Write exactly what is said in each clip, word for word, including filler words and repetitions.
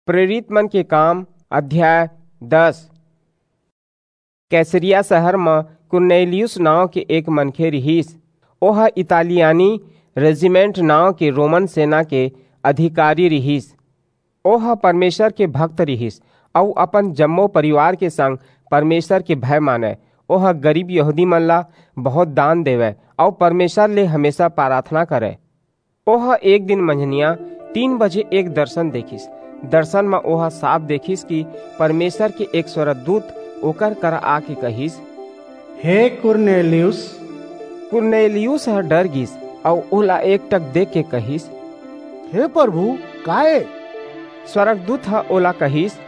प्रेरित मन के काम, अध्याय दस। कैसरिया शहर म कुरनेलियुस नांव के एक मनखे रिहिस। ओह इतालियानी रेजिमेंट नांव के रोमन सेना के अधिकारी रिहिस। ओह परमेसर के भक्त रिहिस अऊ अपन जम्मो परिवार के संग परमेसर के भय मानय। ओह गरीब यहूदी मन ला बहुंत दान देवय अऊ परमेसर ले हमेसा पराथना करय। ओह एक दिन मंझनिया तीन बजे एक दरसन देखिस। दरसन म ओह साफ देखिस कि परमेसर के एक स्वरगदूत ओकर करा आके कहिस, "हे कुरनेलियुस।" कुरनेलियुस ह डर गीस अऊ ओला एकटक देखके कहिस, "हे परभू, का ए?" स्वरगदूत ह ओला कहिस,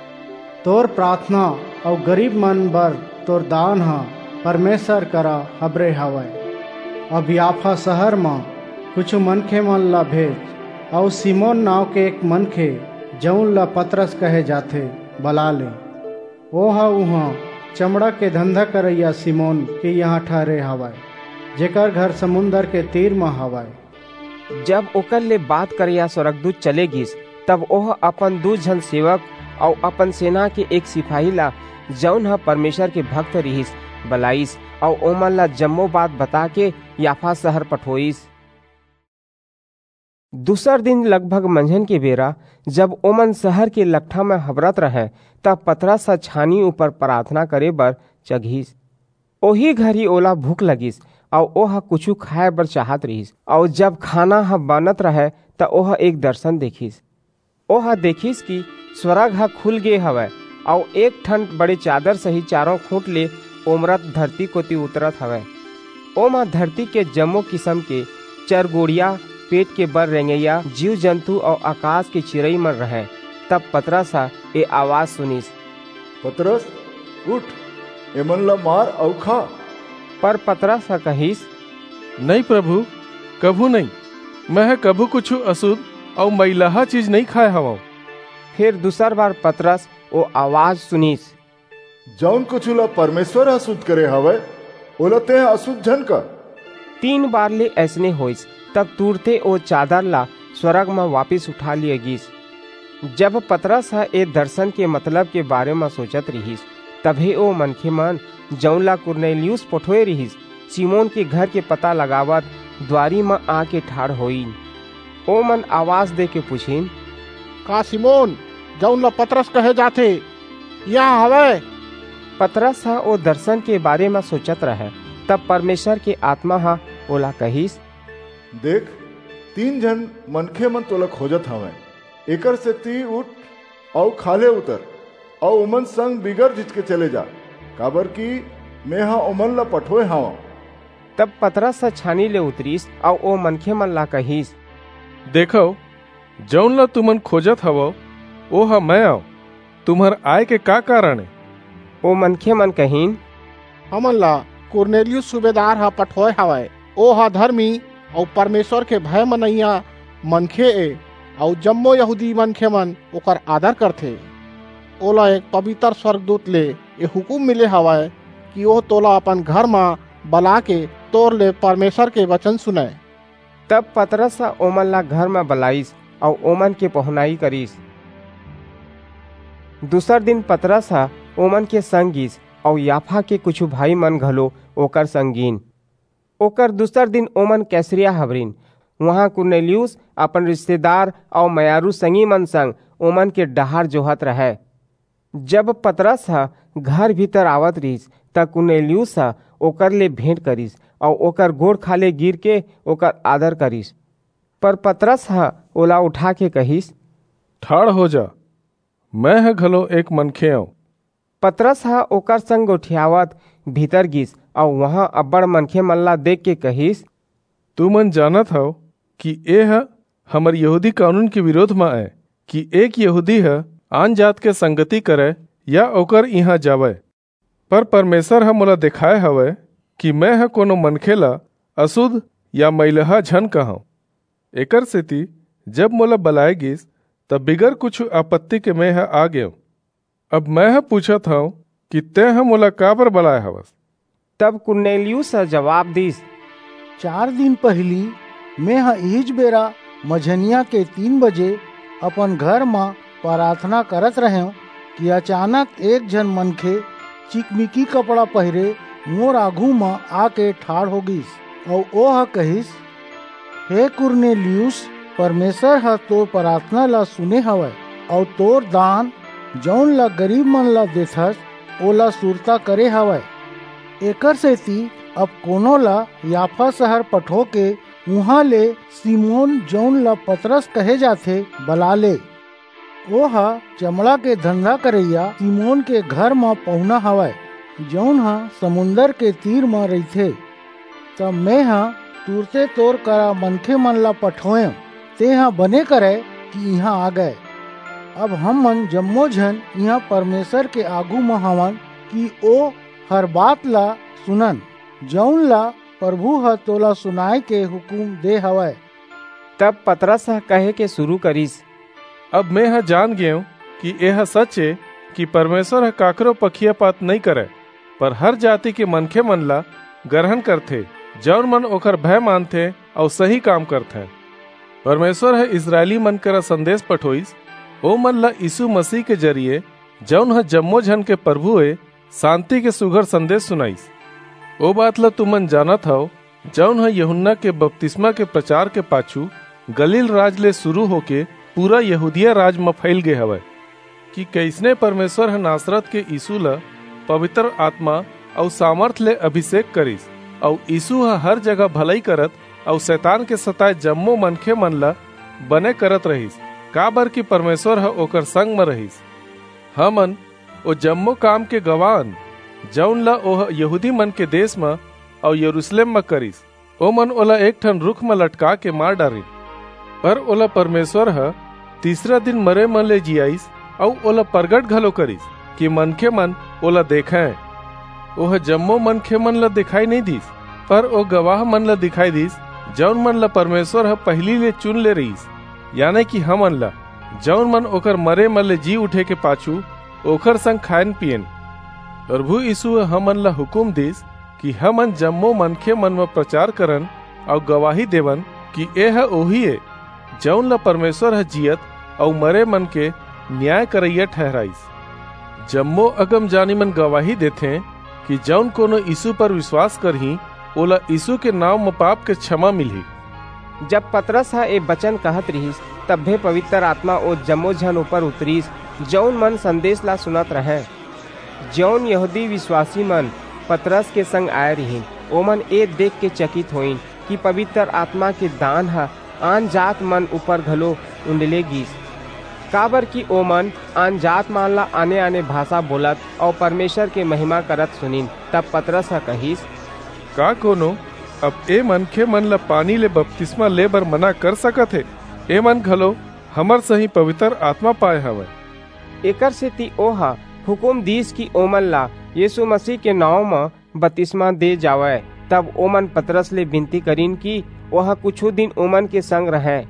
"तोर पराथना अऊ गरीब मन बर तोर दान ह परमेसर करा हबरे हवय। अब याफा शहर म कुछू मनखे मन ला भेज अऊ सिमोन नांव के एक मनखे, जऊन ला पतरस कहे जाथे, बला ले। ओह उहां चमड़ा के धंधा करइया सिमोन के इहां ठहरे हवय, जेकर घर समुंदर के तीर म हवय।" जब ओकर ले बात करइया स्वरगदूत चले गीस, तब ओह अपन दू झन सेवक अऊ अपन सेना के एक सिपाही ला, जऊन ह परमेसर के भक्त रिहिस, बलाईस अऊ ओमन ला जम्मो बात बताके याफा शहर पठोईस। दूसर दिन लगभग मंझन के बेरा, जब ओमन शहर के लकठा म हबरत रहंय, तब पतरस ह छानी ऊपर पराथना करे बर चघिस। ओही घरी ओला भूख लगिस, अऊ ओह कुछू खाय बर चाहत रिहिस, अऊ जब खाना ह बनत रहय, त ओह एक दरसन देखिस। ओह देखिस कि स्वरग ह खुल गे हवय, अऊ एक ठन बड़े चादर सही चारों खूंट ले ओमरत धरती कोति उतरत हवय। ओमा धरती के जम्मो किसम के चरगोड़िया, पेट के बर रेंगइया जीव-जंतु अऊ अकास के चिरई मन रहंय। तब पतरस ह ए अवाज सुनिस, "पतरस, उठ, एमन ला मार अऊ खा।" पर पतरस ह कहिस, "नइं प्रभु, कभू नइं। मैं ह कभू कुछू असुध अऊ मइलहा चीज नइं खाय हवंव।" फेर दूसर बार पतरस ओ अवाज सुनिस, "जऊन कुछू ला परमेसर ह असुध करे हवय, ओला तें असुध झन कर।" तीन बार ले अइसने होईस, तब तुरते ओ चादर ला स्वरग म वापिस उठा लिये गीस। जब पतरस ह ए दरसन के मतलब के बारे म सोचत रिहिस, तभे ओ मनखे मन, जऊन ला कुरनेलियुस पठोय रिहिस, सिमोन के घर के पता लगावत दुवारी म आके ठाढ़ होइन। ओमन अवाज देके पुछिन, "का सिमोन, जऊन ला पतरस कहे जाथे, इहां हवय?" पतरस ह ओ दरसन के बारे म सोचत रहय, तब परमेसर के आतमा ह ओला कहिस, "देख, तीन झन मनखे मन तोला खोजत हवंय। एकरसेति उठ अऊ खाल्हे उतर, अऊ ओमन संग बिगर झिझके चले जा, काबरकि मेंह ओमन ला पठोय हवंव।" तब पतरस ह छानी ले उतरिस अऊ ओ मनखे मन ला कहिस, "देखव, जऊन ला तुमन खोजत हवव, ओह मैं अंव। तुम्हर आय के का कारन ए?" ओ मनखे मन कहिन, "हमन ला कुरनेलियुस सूबेदार ह पठोय हवय। ओह धरमी अऊ परमेसर के भय मनइया मनखे ए, अऊ जम्मो यहूदी मनखे मन ओकर आदर करथे। ओला एक पबितर स्वरगदूत ले ए हुकूम मिले हवय कि ओह तोला अपन घर म बलाके तोर ले परमेसर के बचन सुनय।" तब पतरस ह ओमन ला घर म बलाईस अऊ ओमन के पहुनई करिस। दूसर दिन पतरस ह ओमन के संग गीस अऊ याफा के कुछू भाई मन घलो ओकर संग गीन। ओकर दूसर दिन ओमन कैसरिया हबरिन। उहां कुरनेलियुस अपन रिस्तेदार अऊ मयारू संगी मन संग ओमन के डहार जोहत रहय। जब पतरस ह घर भीतर आवत रिहिस, त कुरनेलियुस ह ओकर ले भेंट करिस अऊ ओकर गोड़ खाल्हे गिरके ओकर आदर करिस। पर पतरस ह ओला उठाके कहिस, "ठाढ़ हो जा, मेंह घलो एक मनखे अंव।" पतरस ह ओकर संग गोठियावत भीतर गीस अऊ उहां अब्बड़ मनखे मन ला देखके कहिस, "तुमन जानत हव कि एह हमर यहूदी कानून के बिरोध म अय कि एक यहूदी ह आनजात के संगति करय या ओकर इहां जावय। पर परमेसर ह मोला देखाय हवय कि मेंह कोनो मनखे ला असुध या मइलहा झन कहंव। एकरसेति जब मोला बलाय गीस, त बिगर कुछू आपत्ति के मेंह आ गेंव। अब मेंह पूछत हंव कि तेंह मोला काबर बलाय हवस?" तब कुरनेलियुस ह जबाब दीस, "चार दिन पहिली मेंह इहीच बेरा मंझनिया के तीन बजे अपन घर म पराथना करत रहेंव कि अचानक एक झन मनखे चिकमिकी कपड़ा पहिरे मोर आघू म आके ठाढ़ हो गीस, अऊ ओह कहिस, "हे कुरनेलियुस, परमेसर ह तोर पराथना ला सुने हवय, अऊ तोर दान, जऊन ला गरीबमन ला देथस, ओला सुरता करे हवय। एकरसेति अब कोनो ला याफा सहर पठोके उहां ले सिमोन, जऊन ला पतरस कहे जाथे, बला ले। ओह चमड़ा के धंधा करइया सिमोन के घर म पहुना हवय, जऊन ह समुंदर के तीर म रहिथे। तब मेंह तुरते तोर करा मनखेमन ला पठोएंव, तेंह बने करय कि इहां आ गय। अब हमन जम्मो झन इहां परमेसर के आघू म हवन कि ओ हर बात ला सुनन, जऊन ला परभू ह तोला सुनाय के हुकूम दे हवय।" तब पतरस ह कहे के सुरू करिस, "अब मेंह जान गेंव कि एह सच ए कि परमेसर ह काकरो पखियापात नइं करय, पर हर जाति के मनखेमन ला गरहन करथे, जऊन मन ओकर भय मानथें अऊ सही काम करथें। परमेसर ह इसरायलीमन करा संदेस पठोईस, ओमन ला यीसू मसीह के जरिये, जऊन ह जम्मो झन के परभू ए, सांति के सुघर संदेस सुनाईस। ओ बात ला तुमन जानत हव, जऊन ह यूहन्ना के बपतिसमा के परचार के पाछू गलील राज ले सुरू होके पूरा यहूदिया राज म फइल गे हवय, कि कइसने परमेसर ह नासरत के यीसू ला पबितर आतमा अऊ सामरथ ले अभिसेक करिस, अऊ यीसू ह हर जगह भलई करत अऊ सैतान के सताय जम्मो मनखेमन ला बने करत रहिस, काबरकि परमेसर ह ओकर संग म रहिस। हमन ओ जम्मो काम के गवाह अन, जऊन ला ओह यहूदीमन के देस म अऊ यरूसलेम म करिस। ओमन ओला एक ठन रूख म लटकाके मार डारिन, पर ओला परमेसर ह तीसरा दिन मरेमन ले जियाईस, अऊ ओला परगट घलो करिस, कि मनखेमन ओला देखंय। ओह जम्मो मनखेमन ला दिखाई नइं दीस, पर ओ गवाहमन ला दिखाई दीस, जऊन मन ला परमेसर ह पहिली ले चुन ले रिहिस, याने कि हमन ला, जऊन मन ओकर मरेमन ले जी उठे के पाछू ओकर संग खायेन पीयेन। परभू यीसू ह हमन ला हुकूम दीस कि हमन जम्मो मनखेमन म परचार करन अऊ गवाही देवन कि एह ओही ए, जऊन ला परमेसर ह जीयत अऊ मरेमन के नियाय करइया ठहिराईस। जम्मो अगमजानीमन गवाही देथें कि जऊन कोनो यीसू पर बिसवास करही, ओला यीसू के नांव म पाप के छमा मिलही।" जब पतरस ह ए बचन कहत रिहिस, तभे पबितर आतमा ओ जम्मो झन ऊपर उतरिस, जऊन मन संदेस ला सुनत रहंय। जऊन यहूदी बिसवासीमन पतरस के संग आय रिहिन, ओमन ए देखके चकित होईन कि पबितर आतमा के दान ह आनजातमन ऊपर घलो उंडले गीस, काबरकि ओमन आनजातमन ला आने-आने भासा बोलत अऊ परमेसर के महिमा करत सुनिन। तब पतरस ह कहिस, "का कोनो अब ए मनखेमन ला पानी ले बपतिसमा ले बर मना कर सकत हे? एमन घलो हमर सहीं पबितर आतमा पाय हवंय।" एकरसेति ओह हुकूम दीस कि ओमन ला यीसू मसीह के नांव म बतिसमा दे जावय। तब ओमन पतरस ले बिनती करिन कि ओह कुछू दिन ओमन के संग रहय।